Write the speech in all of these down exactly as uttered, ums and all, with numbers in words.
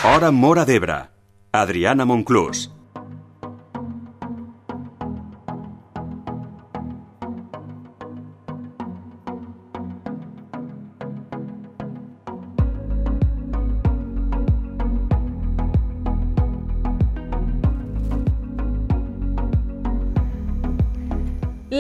Hora Móra d'Ebre. Adriana Monclús.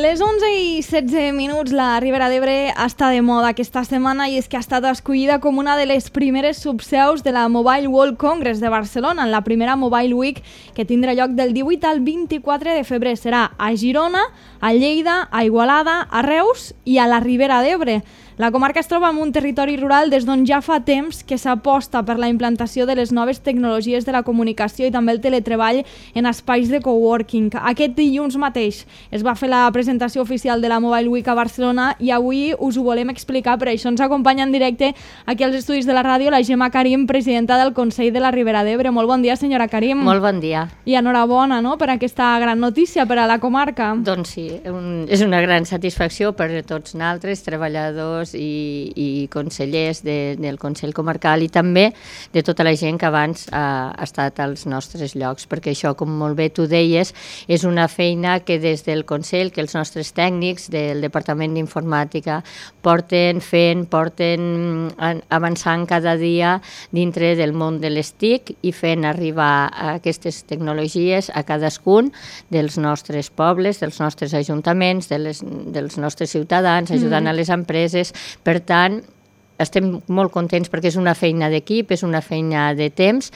Les onze i setze minuts, la Ribera d'Ebre està de moda aquesta setmana i és que ha estat escollida com una de les primeres subseus de la Mobile World Congress de Barcelona, en la primera Mobile Week que tindrà lloc del divuit al vint-i-quatre de febrer. Serà a Girona, a Lleida, a Igualada, a Reus i a la Ribera d'Ebre. La comarca es troba en un territori rural des d'on ja fa temps que s'aposta per la implantació de les noves tecnologies de la comunicació i també el teletreball en espais de coworking. Aquest dilluns mateix es va fer la presentació oficial de la Mobile Week a Barcelona i avui us ho volem explicar, per això ens acompanya en directe aquí als estudis de la ràdio la Gemma Karim, presidenta del Consell de la Ribera d'Ebre. Molt bon dia, senyora Karim. Molt bon dia. I enhorabona, no?, per aquesta gran notícia per a la comarca. Doncs sí, un, és una gran satisfacció per a tots nosaltres, treballadors i, i consellers de, del Consell Comarcal i també de tota la gent que abans ha, ha estat als nostres llocs, perquè això, com molt bé tu deies, és una feina que des del Consell, que els nostres tècnics del Departament d'Informàtica porten fent, porten avançant cada dia dintre del món de les T I C i fent arribar aquestes tecnologies a cadascun dels nostres pobles, dels nostres ajuntaments, de les, dels nostres ciutadans, ajudant mm. a les empreses. Per tant, estem molt contents perquè és una feina d'equip, és una feina de temps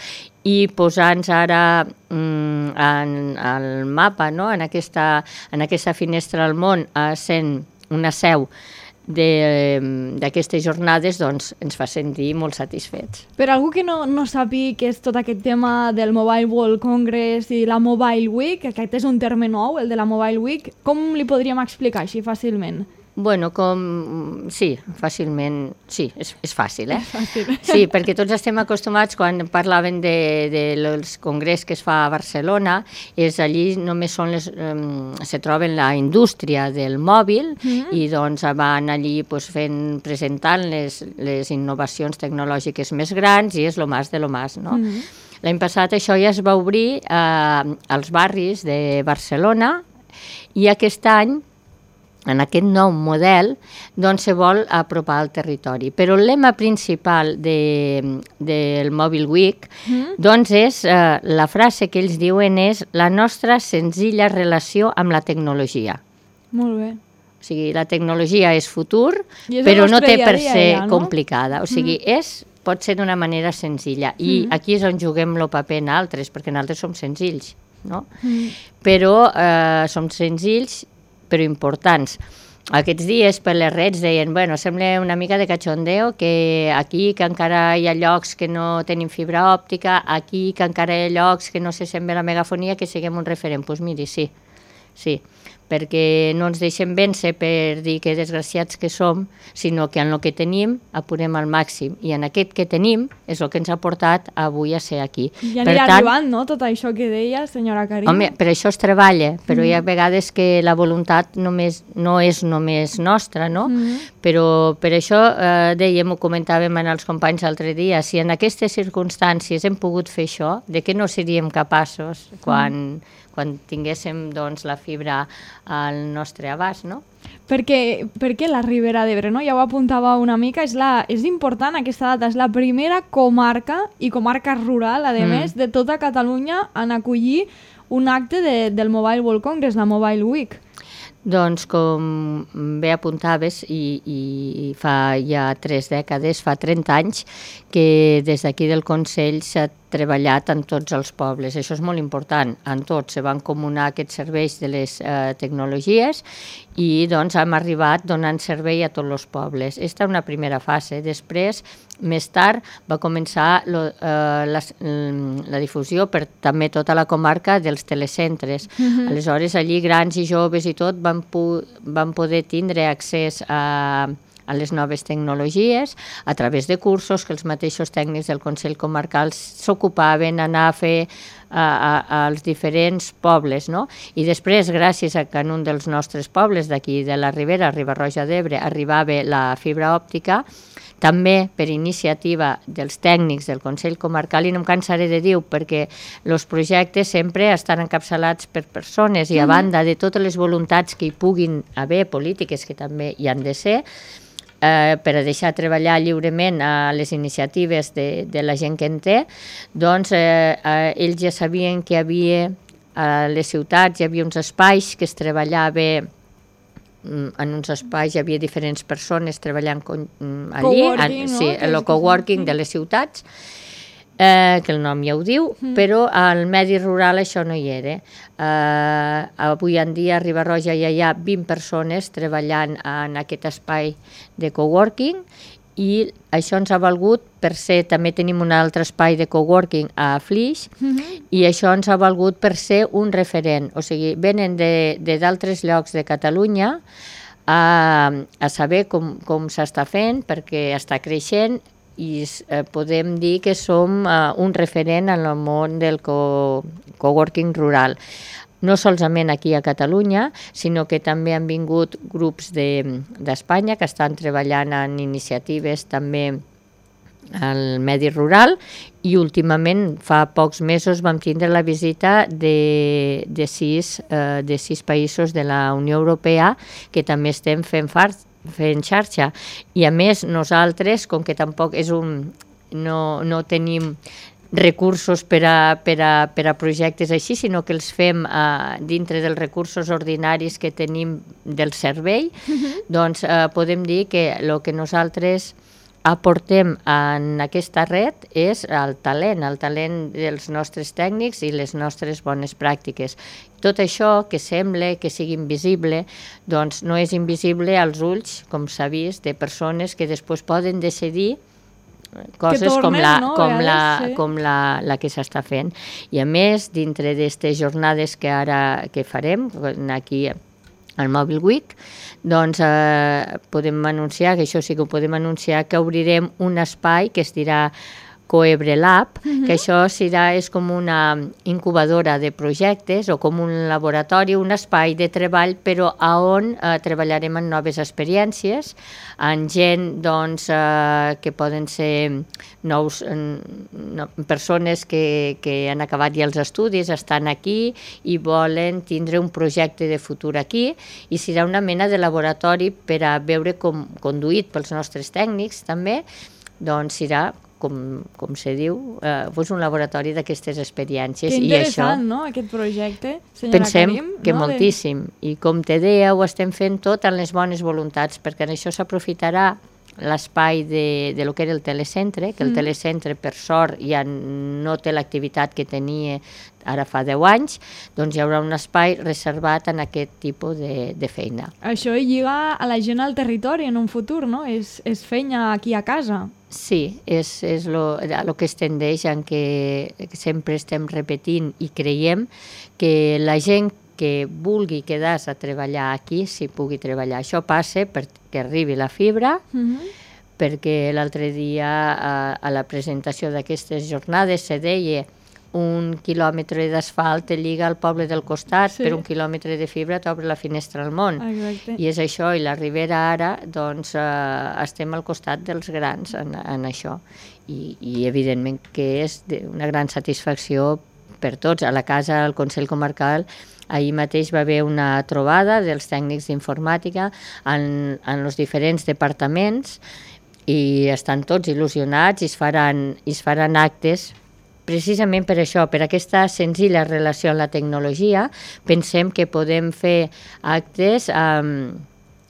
i posar-nos ara mm, en el mapa, no?, en, aquesta, en aquesta finestra al món, sent una seu d'aquestes jornades, doncs ens fa sentir molt satisfets. Per algú que no, no sàpiga què és tot aquest tema del Mobile World Congress i la Mobile Week, aquest és un terme nou, el de la Mobile Week, com li podríem explicar així fàcilment? Bueno, com... sí, fàcilment, sí, és, és fàcil, eh? És fàcil. Sí, perquè tots estem acostumats, quan parlaven de, de dels congrés que es fa a Barcelona, és allí només són les... Um, se troben la indústria del mòbil mm-hmm. i doncs van allí pues, fent, presentant les, les innovacions tecnològiques més grans i és lo más de lo más, no? Mm-hmm. L'any passat això ja es va obrir eh, als barris de Barcelona i aquest any en aquest nou model, doncs se vol apropar al territori. Però el lema principal de, del Mobile Week, mm. doncs és, eh, la frase que ells diuen és la nostra senzilla relació amb la tecnologia. Molt bé. O sigui, la tecnologia és futur, és però no té per ser ja, no? complicada. O sigui, mm. és, pot ser d'una manera senzilla. I mm. aquí és on juguem el paper nosaltres, perquè nosaltres som senzills, no? Mm. Però eh, som senzills, però importants. Aquests dies per les redes deien, bueno, sembla una mica de cachondeo que aquí que encara hi ha llocs que no tenim fibra òptica, aquí que encara hi ha llocs que no se sent bé la megafonia, que siguem un referent. Doncs pues miri, sí, sí, perquè no ens deixem vèncer per dir que desgraciats que som, sinó que en el que tenim apurem al màxim. I en aquest que tenim és el que ens ha portat avui a ser aquí. Ja anirà tant, arribant, no?, tot això que deia, senyora Karim. Home, per això es treballa, però mm. hi ha vegades que la voluntat només, no és només nostra, no? Mm. Però per això, eh, dèiem, ho comentàvem en els companys l'altre dia, si en aquestes circumstàncies hem pogut fer això, de què no seríem capaços quan... Mm. quan tinguéssim doncs, la fibra al nostre abast, no? Perquè, perquè la Ribera d'Ebre, no? Ja ho apuntava una mica, és, la, és important aquesta data, és la primera comarca i comarca rural, a mm. més, de tota Catalunya en acollir un acte de, del Mobile World Congress, la Mobile Week. Doncs com bé apuntaves, i, i fa ja tres dècades, fa trenta anys, que des d'aquí del Consell s'ha treballat en tots els pobles. Això és molt important. En tots se van comunar aquests serveis de les eh, tecnologies i doncs hem arribat donant servei a tots els pobles. Aquesta és una primera fase. Després, més tard, va començar lo, eh, la, la difusió per també tota la comarca dels telecentres. Mm-hmm. Aleshores, allí grans i joves i tot van, pu- van poder tindre accés a... a les noves tecnologies, a través de cursos que els mateixos tècnics del Consell Comarcal s'ocupaven d'anar a fer a, a, als diferents pobles, no? I després, gràcies a que en un dels nostres pobles d'aquí de la Ribera, Riba-roja d'Ebre, arribava la fibra òptica, també per iniciativa dels tècnics del Consell Comarcal, i no em cansaré de dir-ho perquè els projectes sempre estan encapçalats per persones i a banda de totes les voluntats que hi puguin haver, polítiques que també hi han de ser, eh, per a deixar treballar lliurement a les iniciatives de, de la gent que en té, doncs eh, eh, ells ja sabien que hi havia a les ciutats, hi havia uns espais que es treballava, en uns espais hi havia diferents persones treballant allí, coworking, sí, no? el coworking de les ciutats, eh, que el nom ja ho diu, mm. però al medi rural això no hi era. Eh, avui en dia a Riba-roja ja hi ha vint persones treballant en aquest espai de coworking, i això ens ha valgut per ser, també tenim un altre espai de coworking a Flix, mm-hmm. i això ens ha valgut per ser un referent, o sigui, venen de d'altres llocs de Catalunya a, a saber com, com s'està fent, perquè està creixent, i eh, podem dir que som eh, un referent en el món del co coworking rural. No solament aquí a Catalunya, sinó que també han vingut grups d'Espanya de, que estan treballant en iniciatives també al medi rural, i últimament, fa pocs mesos, vam tindre la visita de, de, sis, eh, de sis països de la Unió Europea que també estem fent, far, fent xarxa. I a més, nosaltres, com que tampoc és un... no, no tenim recursos per a, per a, per a projectes així, sinó que els fem uh, dintre dels recursos ordinaris que tenim del servei, uh-huh. doncs uh, podem dir que el que nosaltres aportem en aquesta red és el talent, el talent dels nostres tècnics i les nostres bones pràctiques. Tot això que sembla que sigui invisible, doncs no és invisible als ulls, com s'ha vist, de persones que després poden decidir coses tornen, com, la, no? com, la, sí. com la, la que s'està fent. I a més, dintre d'aquestes jornades que ara que farem, aquí al Mobile Week, doncs eh, podem anunciar, que això sí que ho podem anunciar, que obrirem un espai que es dirà Coebre Lab, uh-huh. que això serà, és com una incubadora de projectes o com un laboratori, un espai de treball, però on eh, treballarem en noves experiències, en gent doncs, eh, que poden ser nous, no, persones que, que han acabat ja els estudis, estan aquí i volen tindre un projecte de futur aquí, i serà una mena de laboratori per a veure com, conduït pels nostres tècnics també, doncs serà com, com se diu, eh, pues un laboratori d'aquestes experiències. Que interessant, I això, no?, aquest projecte, senyora pensem Karim. que no? moltíssim. I com te deia, ho estem fent tot en les bones voluntats, perquè en això s'aprofitarà l'espai de, de lo que era el telecentre, que el mm. telecentre, per sort, ja no té l'activitat que tenia ara fa deu anys, doncs hi haurà un espai reservat en aquest tipus de, de feina. Això lliga a la gent al territori en un futur, no? És, és feina aquí a casa. Sí, és, és lo, lo que es tendeix en què sempre estem repetint i creiem que la gent que vulgui quedar-se a treballar aquí, si pugui treballar. Això passa perquè arribi la fibra, uh-huh. perquè l'altre dia a, a la presentació d'aquestes jornades se deia un quilòmetre d'asfalt te lliga al poble del costat, sí. per un quilòmetre de fibra t'obre la finestra al món. Exacte. I és això, i la Ribera ara, doncs, eh, estem al costat dels grans en, en això. I, i evidentment que és una gran satisfacció per tots. A la casa, al Consell Comarcal, ahir mateix va haver una trobada dels tècnics d'informàtica en, en els diferents departaments i estan tots il·lusionats i es faran, i es faran actes precisament per això, per aquesta senzilla relació amb la tecnologia. Pensem que podem fer actes amb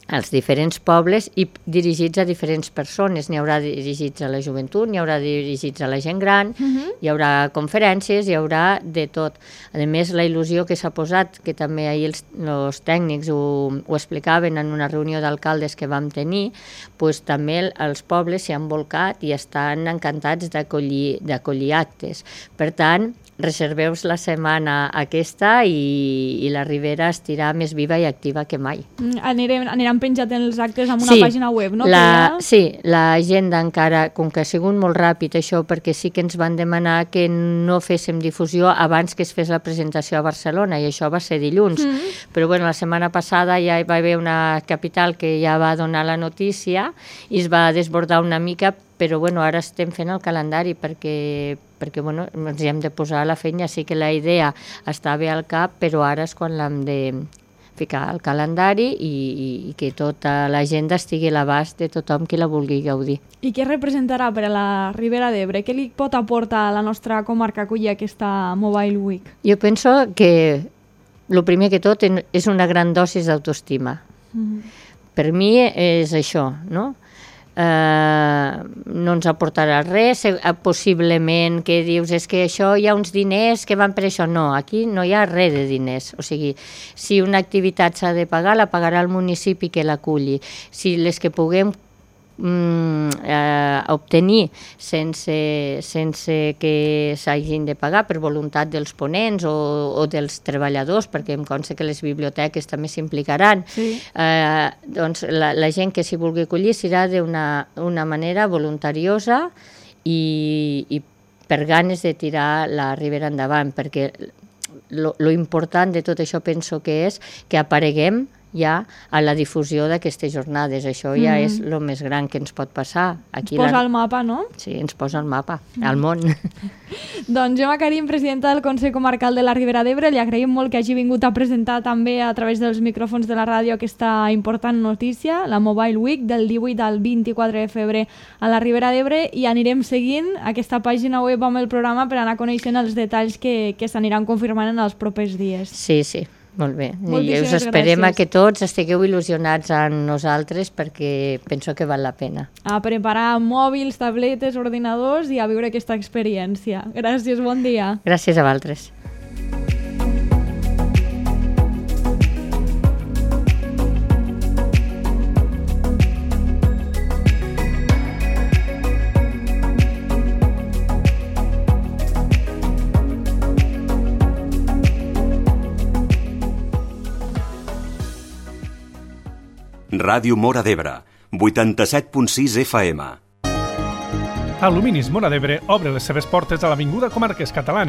als diferents pobles i dirigits a diferents persones. N'hi haurà dirigits a la joventut, n'hi haurà dirigits a la gent gran, uh-huh. hi haurà conferències, hi haurà de tot. A més, la il·lusió que s'ha posat, que també ahir els, els tècnics ho, ho explicaven en una reunió d'alcaldes que vam tenir, pues, també els pobles s'hi han volcat i estan encantats d'acollir d'accollir actes. Per tant, reserveu-vos la setmana aquesta i, i la Ribera estirà més viva i activa que mai. Mm, anirem, aniran penjat els actes amb una Sí, pàgina web, no? La, Que ja... Sí, l'agenda encara, com que ha sigut molt ràpid això, perquè sí que ens van demanar que no féssim difusió abans que es fes la presentació a Barcelona, i això va ser dilluns. Mm -hmm. Però bueno, la setmana passada ja hi va haver una capital que ja va donar la notícia i es va desbordar una mica, però bueno, ara estem fent el calendari perquè, perquè bueno, ens hi hem de posar a la feina. Sí que la idea està bé al cap, però ara és quan l'hem de ficar al calendari i, i que tota l'agenda estigui a l'abast de tothom qui la vulgui gaudir. I què representarà per a la Ribera d'Ebre? Què li pot aportar a la nostra comarca acollir aquesta Mobile Week? Jo penso que el primer que tot és una gran dosis d'autoestima. Mm. Per mi és això, no? Uh, no ens aportarà res, possiblement que dius és que això hi ha uns diners que van per això. No, aquí no hi ha res de diners. O sigui, si una activitat s'ha de pagar, la pagarà el municipi que l'aculli. Si les que puguem mm, eh, obtenir sense, sense que s'hagin de pagar per voluntat dels ponents o, o dels treballadors, perquè em consta que les biblioteques també s'implicaran, sí. eh, doncs la, la gent que s'hi vulgui acollir serà d'una una manera voluntariosa i, i per ganes de tirar la Ribera endavant, perquè lo, lo important de tot això penso que és que apareguem ja a la difusió d'aquestes jornades. Això ja mm. és el més gran que ens pot passar. Aquí ens posa la... al mapa, no? Sí, ens posa al mapa, mm. al món. Doncs Gemma Karim, presidenta del Consell Comarcal de la Ribera d'Ebre, li agraïm molt que hagi vingut a presentar també a través dels micròfons de la ràdio aquesta important notícia, la Mobile Week del divuit al vint-i-quatre de febrer a la Ribera d'Ebre, i anirem seguint aquesta pàgina web amb el programa per anar coneixent els detalls que, que s'aniran confirmant en els propers dies. Sí, sí. Molt bé. I us esperem gràcies. A que tots estigueu il·lusionats amb nosaltres perquè penso que val la pena. A preparar mòbils, tabletes, ordinadors i a viure aquesta experiència. Gràcies, bon dia. Gràcies a vosaltres. Ràdio Móra d'Ebre, vuitanta-set punt sis F M. Aluminis Móra d'Ebre obre les seves portes a l'Avinguda Comarques Catalanes.